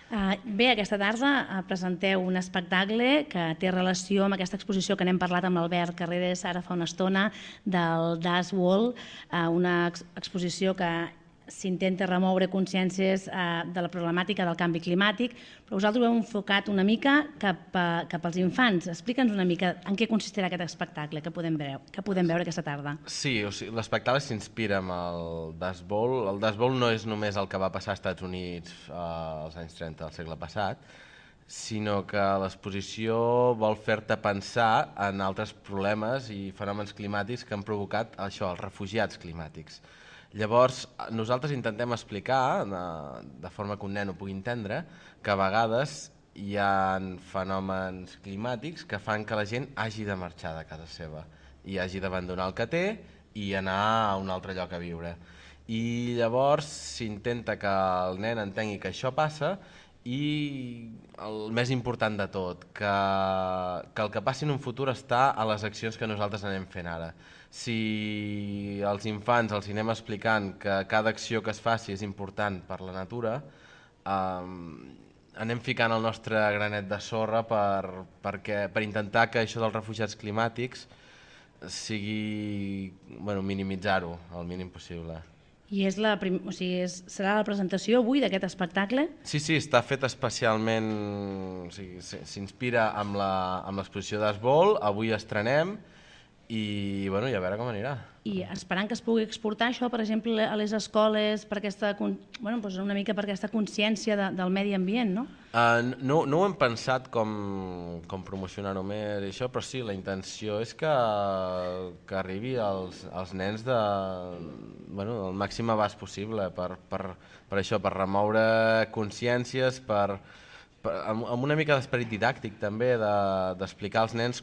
Bé, aquesta tarda presenteu un espectacle que té relació amb aquesta exposició que n'hem parlat amb l'Albert Carreras ara fa una estona, del Das Wall, una exposició que s'intenta remoure consciències de la problemàtica del canvi climàtic, però vosaltres ho heu enfocat una mica cap als infants. Explica'ns una mica en què consistirà aquest espectacle que podem veure aquesta tarda. Sí, l'espectacle s'inspira amb el Das Bowl. El Das Bowl no és només el que va passar als Estats Units als anys 30 del segle passat, sinó que l'exposició vol fer-te pensar en altres problemes i fenòmens climàtics que han provocat això, els refugiats climàtics. Llavors, nosaltres intentem explicar, de forma que un nen ho pugui entendre, que a vegades hi ha fenòmens climàtics que fan que la gent hagi de marxar de casa seva i hagi d'abandonar el que té i anar a un altre lloc a viure. I llavors s'intenta que el nen entengui que això passa i el més important de tot, que el que passi en un futur està a les accions que nosaltres anem fent ara. Si als infants els anem explicant que cada acció que es faci és important per la natura, anem ficant el nostre granet de sorra per intentar que això dels refugiats climàtics sigui, minimitzar-ho el mínim possible. I serà la presentació avui d'aquest espectacle? Sí, està fet especialment, s'inspira amb l'exposició d'Esbol, avui estrenem i a veure com anirà. I esperant que es pugui exportar això, per exemple, a les escoles, una mica per aquesta consciència del medi ambient, no? No ho hem pensat com promocionar-ho més i això, però sí, la intenció és que arribi als nens del màxim abast possible, per això, per remoure consciències, amb una mica d'esperit didàctic també, d'explicar als nens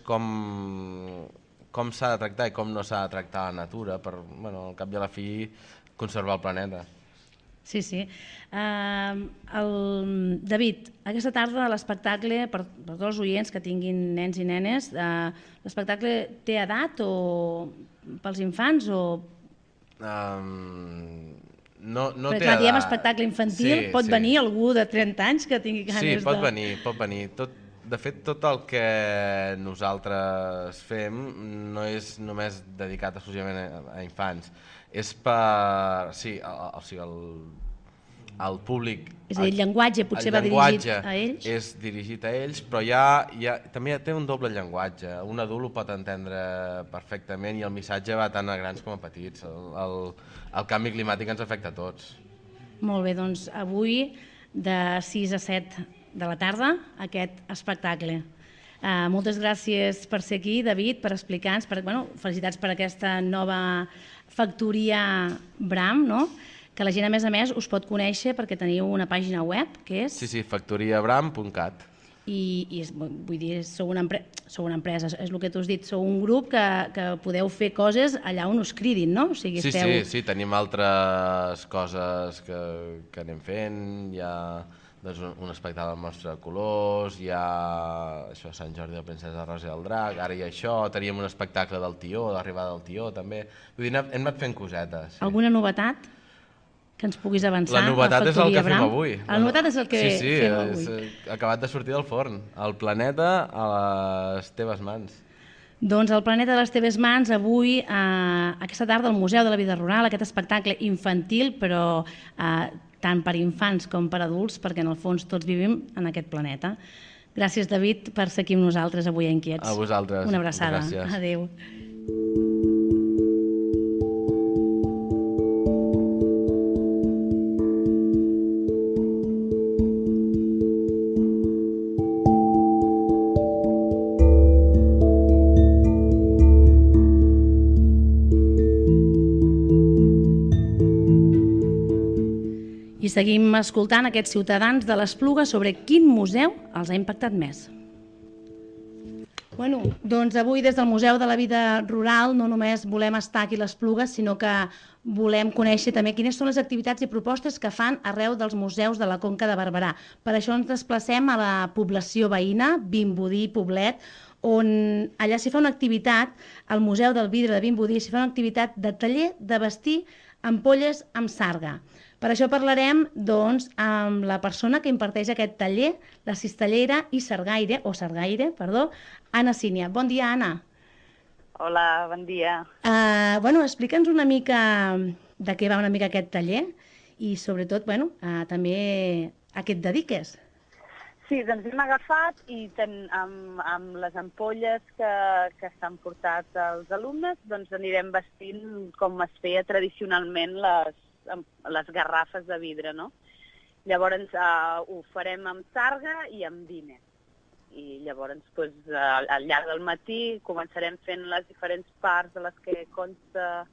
com s'ha de tractar i com no s'ha de tractar la natura per, al cap i a la fi, conservar el planeta. Sí. David, aquesta tarda l'espectacle, per tots els oients que tinguin nens i nenes, l'espectacle té edat o pels infants o... No té edat. Diem espectacle infantil, pot venir algú de 30 anys que tingui ganes de... Sí, pot venir. De fet, tot el que nosaltres fem no és només dedicat exclusivament a infants. És per... Sí, el públic... És a dir, el llenguatge potser va dirigit a ells? És dirigit a ells, però també té un doble llenguatge. Un adult ho pot entendre perfectament i el missatge va tant a grans com a petits. El canvi climàtic ens afecta a tots. Molt bé, doncs avui de 6 a 7 de la tarda aquest espectacle. Moltes gràcies per ser aquí, David, per explicar-nos, felicitats per aquesta nova factoria Bram, no? Que la gent, a més, us pot conèixer perquè teniu una pàgina web, que és... Sí, factoriabram.cat. I vull dir, sou una empresa, és el que tu has dit, sou un grup que podeu fer coses allà on us cridin, no? O sigui, Sí, tenim altres coses que anem fent, hi ha un espectacle del Mostre de Colors, hi ha Sant Jordi de la Princesa Rosa i el Drac, ara hi ha això, teníem un espectacle del Tió, l'arribada del Tió també, vull dir, hem anat fent cosetes. Alguna novetat que ens puguis avançar? La novetat és el que fem avui. La novetat és el que fem avui. Sí, ha acabat de sortir del forn, el planeta a les teves mans. Doncs el planeta a les teves mans, avui, aquesta tarda, al Museu de la Vida Rural, aquest espectacle infantil, però tant per infants com per adults, perquè en el fons tots vivim en aquest planeta. Gràcies, David, per ser aquí amb nosaltres avui a Inquiets. A vosaltres. Una abraçada. Gràcies. Adéu. I seguim escoltant aquests ciutadans de l'Espluga sobre quin museu els ha impactat més. Doncs avui des del Museu de la Vida Rural no només volem estar aquí a l'Espluga, sinó que volem conèixer també quines són les activitats i propostes que fan arreu dels museus de la Conca de Barberà. Per això ens desplacem a la població veïna, Vimbodí, Poblet, on allà s'hi fa una activitat, al Museu del Vidre de Vimbodí, s'hi fa una activitat de taller de vestir ampolles amb sarga. Per això parlarem amb la persona que imparteix aquest taller, la cistellera i sargaire, Anna Sínia. Bon dia, Anna. Hola, bon dia. Explica'ns una mica de què va una mica aquest taller i, sobretot, també a què et dediques. Sí, doncs hem agafat i amb les ampolles que s'han portat els alumnes, doncs anirem vestint com es feia tradicionalment les garrafes de vidre, no? Llavors ho farem amb sarga i amb vine. I llavors al llarg del matí començarem fent les diferents parts de les que consta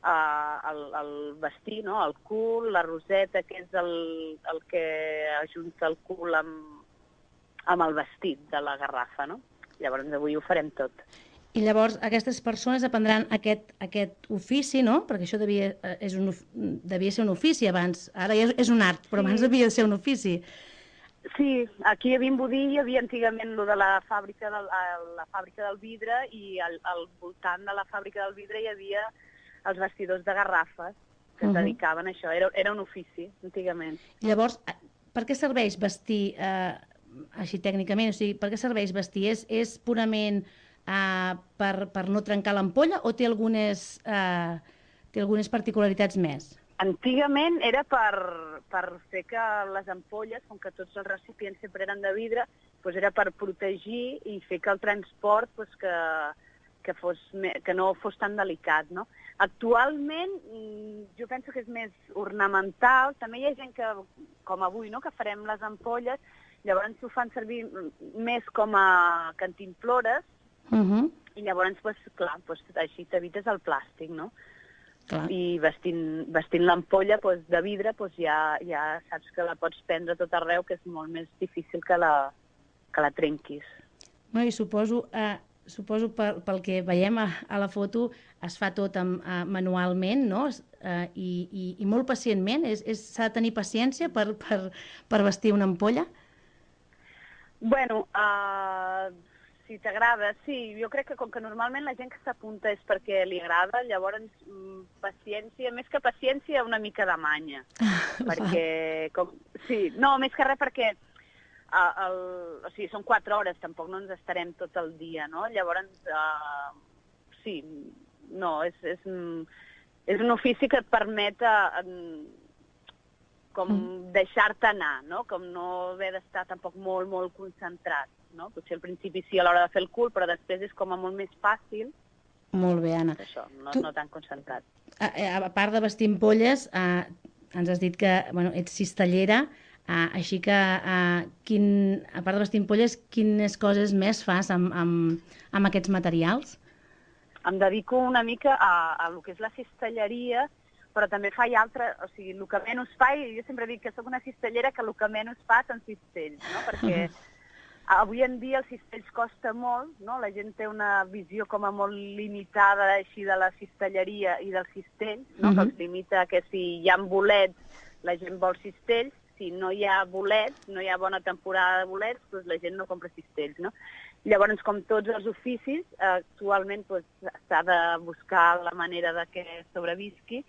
el vestir, no? El cul, la roseta, que és el que ajunta el cul amb amb el vestit de la garrafa, no? Llavors avui ho farem tot. I llavors aquestes persones aprendran aquest ofici, no? Perquè això devia ser un ofici abans. Ara ja és un art, però abans devia ser un ofici. Sí, aquí a Vimbodí hi havia antigament lo de la fàbrica del vidre i al voltant de la fàbrica del vidre hi havia els vestidors de garrafes que es dedicaven a això. Era un ofici, antigament. Llavors, per què serveix vestir, així tècnicament? O sigui, per què serveix vestir? És purament per no trencar l'ampolla o té algunes particularitats més? Antigament era per fer que les ampolles, com que tots els recipients sempre eren de vidre, doncs era per protegir i fer que el transport que no fos tan delicat, no? Actualment jo penso que és més ornamental. També hi ha gent que, com avui, no?, que farem les ampolles, llavors ho fan servir més com a cantimplores i llavors, clar, així t'evites el plàstic, no? Clar. I vestint l'ampolla de vidre ja saps que la pots prendre tot arreu, que és molt més difícil que la trenquis. I suposo pel que veiem a la foto es fa tot manualment, no? I molt pacientment. S'ha de tenir paciència per vestir una ampolla? Bueno, si t'agrada, sí. Jo crec que com que normalment la gent que s'apunta és perquè li agrada, llavors paciència, més que paciència, una mica de manya. Perquè, més que res perquè són 4 hores, tampoc no ens estarem tot el dia, no? Llavors, és un ofici que et permet com deixar-te anar, no? Com no haver d'estar tampoc molt, molt concentrat, no? Potser al principi sí a l'hora de fer el cul, però després és com a molt més fàcil. Molt bé, Anna. Això, no tan concentrat. A part de vestir ampolles, ens has dit que ets cistellera, així que, a part de vestir ampolles, quines coses més fas amb aquests materials? Em dedico una mica a lo que és la cistelleria, però també faig altres, o sigui, el que menys fa, i jo sempre dic que soc una cistellera que el que menys fa són cistells, no? Perquè avui en dia els cistells costa molt, no? La gent té una visió com a molt limitada així de la cistelleria i dels cistells, no? Que els limita que si hi ha bolets la gent vol cistells, si no hi ha bolets, no hi ha bona temporada de bolets, doncs la gent no compra cistells, no? Llavors, com tots els oficis, actualment s'ha de buscar la manera de que sobrevisqui.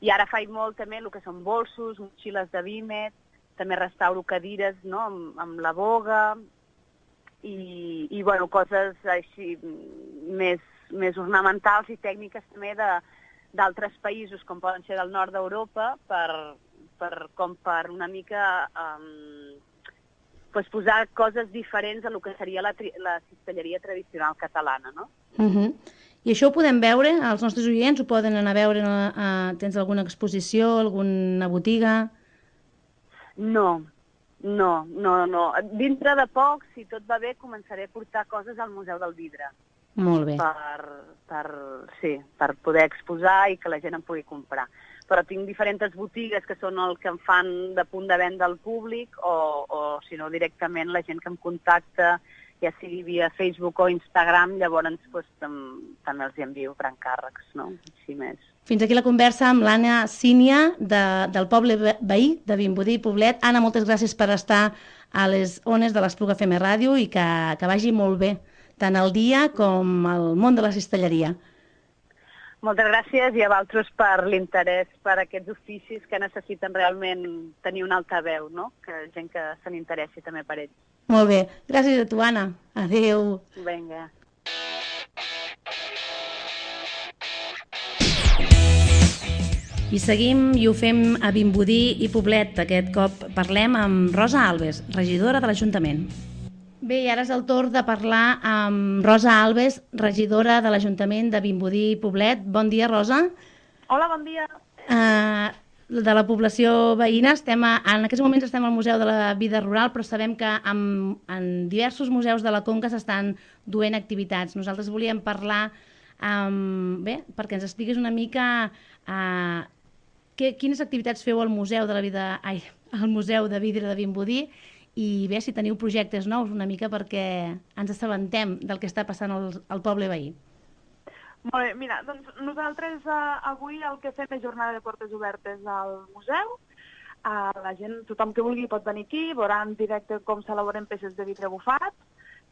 I ara faig molt també el que són bolsos, motxilles de vímet, també restauro cadires, no?, amb la boga, i coses així més ornamentals i tècniques també d'altres països, com poden ser del nord d'Europa, com per una mica posar coses diferents a lo que seria la cistelleria tradicional catalana, no? I això ho podem veure? Els nostres oients ho poden anar a veure? Tens alguna exposició, alguna botiga? No. Dintre de poc, si tot va bé, començaré a portar coses al Museu del Vidre. Molt bé. Per poder exposar i que la gent en pugui comprar. Però tinc diferents botigues que són el que em fan de punt de venda al públic o si no, directament la gent que em contacta, ja sigui via Facebook o Instagram, llavors també els envio per encàrrecs, no? Així més. Fins aquí la conversa amb l'Anna Sínia del poble veí de Vimbodí i Poblet. Anna, moltes gràcies per estar a les ones de l'Espluga FM Ràdio i que vagi molt bé, tant el dia com el món de la cistelleria. Moltes gràcies i a vosaltres per l'interès per aquests oficis que necessiten realment tenir un altaveu, no? Que gent que se n'interessi també per ells. Molt bé. Gràcies a tu, Anna. Adéu. Vinga. I seguim i ho fem a Vimbodí i Poblet. Aquest cop parlem amb Rosa Alves, regidora de l'Ajuntament. Bé, i ara és el torn de parlar amb Rosa Alves, regidora de l'Ajuntament de Vimbodí i Poblet. Bon dia, Rosa. Hola, bon dia. De la població veïna, en aquests moments estem al Museu de la Vida Rural, però sabem que en diversos museus de la Conca s'estan duent activitats. Nosaltres volíem parlar, perquè ens expliquis una mica quines activitats feu al Museu de Vidre de Vimbodí i bé, si teniu projectes nous una mica perquè ens assabentem del que està passant al poble veí. Molt bé, mira, doncs nosaltres avui el que fem és jornada de portes obertes al museu. La gent, tothom que vulgui pot venir aquí, veurà en directe com s'elaboren peces de vidre bufat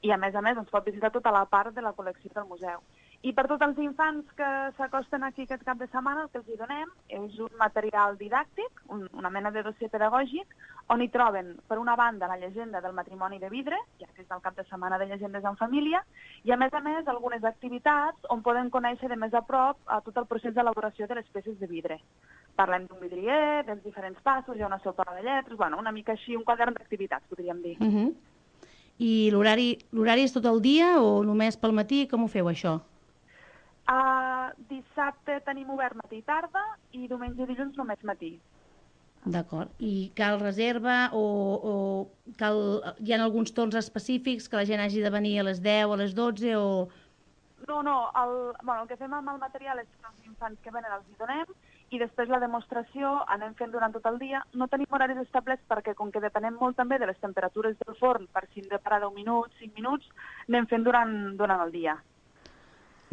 i a més ens pot visitar tota la part de la col·lecció del museu. I per tots els infants que s'acosten aquí aquest cap de setmana, el que els hi donem és un material didàctic, una mena de dossier pedagògic, on hi troben, per una banda, la llegenda del matrimoni de vidre, ja que és el cap de setmana de llegendes en família, i a més, algunes activitats on poden conèixer de més a prop tot el procés d'elaboració de les peces de vidre. Parlem d'un vidrier, dels diferents passos, hi ha una sopa de lletres, una mica així, un quadern d'activitats, podríem dir. I l'horari és tot el dia o només pel matí? Com ho feu, això? Dissabte tenim obert matí i tarda i diumenge i dilluns només matí. D'acord. I cal reserva o hi ha alguns torns específics que la gent hagi de venir a les 10 o a les 12 o... No, el que fem amb el material és que els infants que venen els hi donem i després la demostració anem fent durant tot el dia. No tenim horaris establerts perquè, com que depenem molt també de les temperatures del forn, per si hem de parar 10 minuts, 5 minuts, anem fent durant el dia.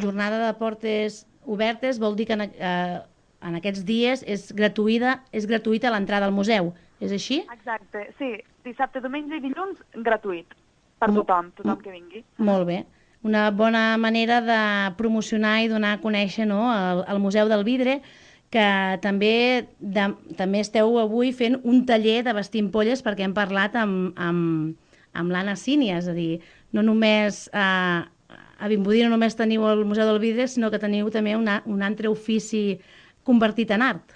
Jornada de portes obertes vol dir que en aquests dies és gratuïta l'entrada al museu, és així? Exacte, sí. Dissabte, diumenge i dilluns, gratuït. Per tothom que vingui. Molt bé. Una bona manera de promocionar i donar a conèixer el Museu del Vidre, que també esteu avui fent un taller de vestir ampolles perquè hem parlat amb l'Anna Sínia, és a dir, no només... A Vimbodí no només teniu el Museu del Vidre, sinó que teniu també un altre ofici convertit en art.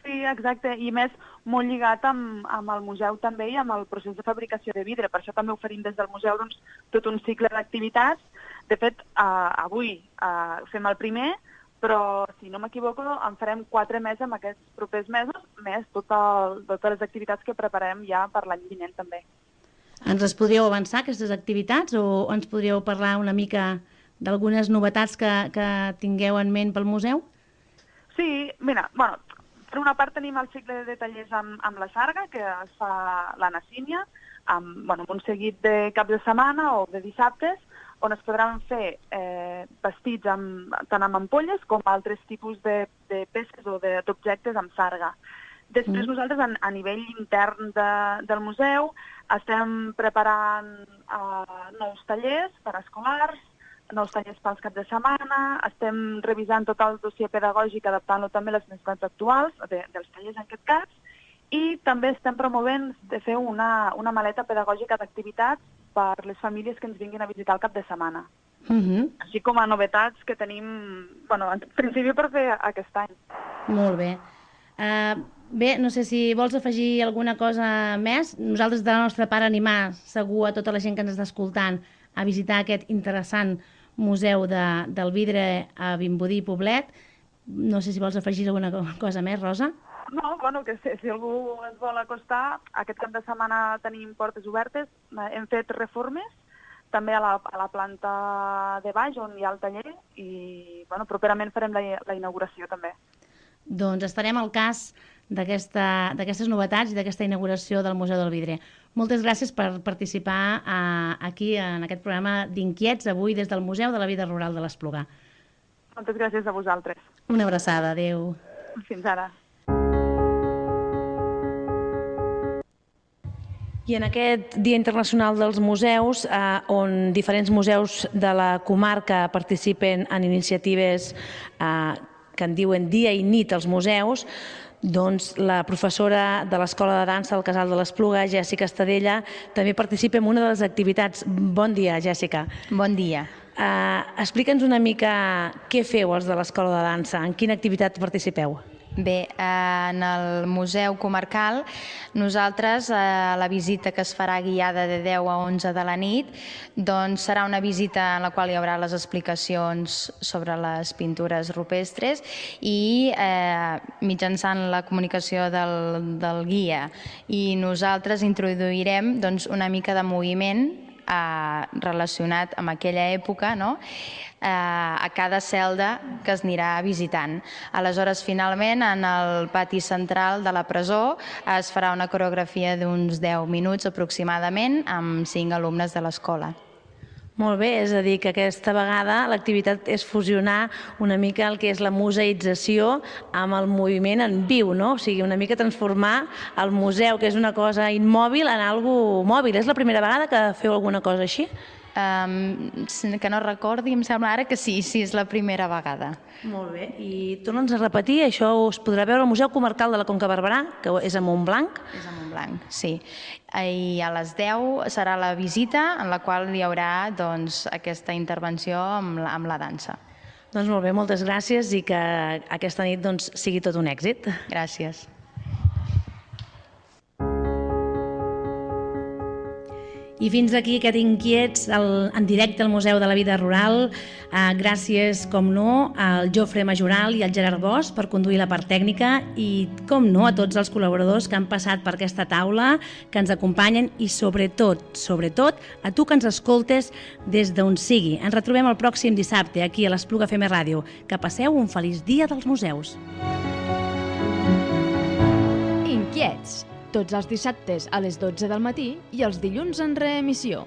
Sí, exacte, i més molt lligat amb el museu també i amb el procés de fabricació de vidre. Per això també oferim des del museu tot un cicle d'activitats. De fet, avui fem el primer, però si no m'equivoco en farem 4 més en aquests propers mesos, més totes les activitats que preparem ja per l'any vinent també. Ens les podríeu avançar, aquestes activitats, o ens podríeu parlar una mica d'algunes novetats que tingueu en ment pel museu? Sí, mira, per una part tenim el cicle de tallers amb la Sarga, que es fa l'Anna Sínia, amb un seguit de caps de setmana o de dissabtes, on es podran fer vestits tant amb ampolles com altres tipus de peces o d'objectes amb sarga. Després nosaltres, a nivell intern del museu, estem preparant nous tallers per a escolars, nous tallers pels caps de setmana, estem revisant tot el dossier pedagògic, adaptant-lo també a les necessitats actuals dels tallers en aquest cas, i també estem promovent de fer una maleta pedagògica d'activitats per les famílies que ens vinguin a visitar el cap de setmana. Així com a novetats que tenim, en principi per fer aquest any. Molt bé. Bé, no sé si vols afegir alguna cosa més. Nosaltres, de la nostra part, animar segur a tota la gent que ens està escoltant a visitar aquest interessant museu del vidre a Vimbodí i Poblet. No sé si vols afegir alguna cosa més, Rosa. No, que si algú es vol acostar, aquest cap de setmana tenim portes obertes, hem fet reformes, també a la planta de baix on hi ha el taller i properament farem la inauguració també. Doncs estarem al cas d'aquestes novetats i d'aquesta inauguració del Museu del Vidre. Moltes gràcies per participar aquí en aquest programa d'Inquiets, avui des del Museu de la Vida Rural de l'Espluga. Moltes gràcies a vosaltres. Una abraçada, adeu. Fins ara. I en aquest Dia Internacional dels Museus, on diferents museus de la comarca participen en iniciatives que en diuen dia i nit als museus, doncs la professora de l'Escola de Dansa del Casal de l'Espluga, Jèssica Estadella, també participa en una de les activitats. Bon dia, Jèssica. Bon dia. Explica'ns una mica què feu els de l'Escola de Dansa, en quina activitat participeu? Bé, en el Museu Comarcal, nosaltres, la visita que es farà guiada de 10 a 11 de la nit, doncs serà una visita en la qual hi haurà les explicacions sobre les pintures rupestres i mitjançant la comunicació del guia. I nosaltres introduirem una mica de moviment relacionat amb aquella època, no? A cada celda que es anirà visitant. Aleshores, finalment, en el pati central de la presó es farà una coreografia d'uns 10 minuts aproximadament amb 5 alumnes de l'escola. Molt bé, és a dir, que aquesta vegada l'activitat és fusionar una mica el que és la museïtzació amb el moviment en viu, no? O sigui, una mica transformar el museu, que és una cosa immòbil, en algo mòbil. És la primera vegada que feu alguna cosa així? Que no recordi, em sembla ara que sí, és la primera vegada. Molt bé, i torna'ns a repetir, això us podrà veure al Museu Comarcal de la Conca Barberà, que és a Montblanc. És a Montblanc, sí. I a les 10 serà la visita, en la qual hi haurà aquesta intervenció amb la dansa. Doncs molt bé, moltes gràcies i que aquesta nit sigui tot un èxit. Gràcies. I fins aquí aquest Inquiets en directe al Museu de la Vida Rural. Gràcies, com no, al Jofre Majoral i al Gerard Bosch per conduir la part tècnica i, com no, a tots els col·laboradors que han passat per aquesta taula, que ens acompanyen i, sobretot, a tu que ens escoltes des d'on sigui. Ens retrobem el pròxim dissabte aquí a l'Espluga FM Ràdio. Que passeu un feliç dia dels museus. Inquiets. Tots els dissabtes a les 12 del matí i els dilluns en reemissió.